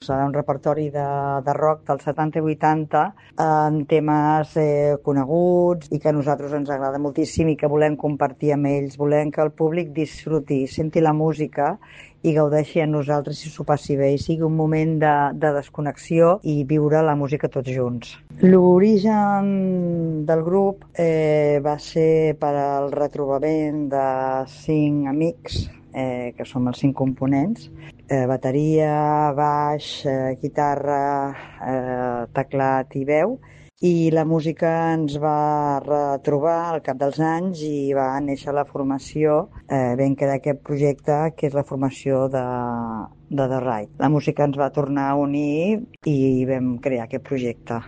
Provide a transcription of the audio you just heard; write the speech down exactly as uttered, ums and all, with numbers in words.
Serà un repertori de, de rock dels setanta i vuitanta amb temes eh, coneguts i que a nosaltres ens agrada moltíssim i que volem compartir amb ells. Volem que el públic disfruti, senti la música i gaudeixi amb nosaltres i s'ho passi bé i sigui un moment de, de desconnexió i viure la música tots junts. L'origen del grup eh, va ser per al retrobament de cinc amics, eh, que som els cinc components, eh, bateria, baix, eh, guitarra, eh, teclat i veu, i la música ens va retrobar al cap dels anys i va néixer la formació, eh, vam crear aquest projecte que és la formació de, de The Ride. La música ens va tornar a unir i vam crear aquest projecte.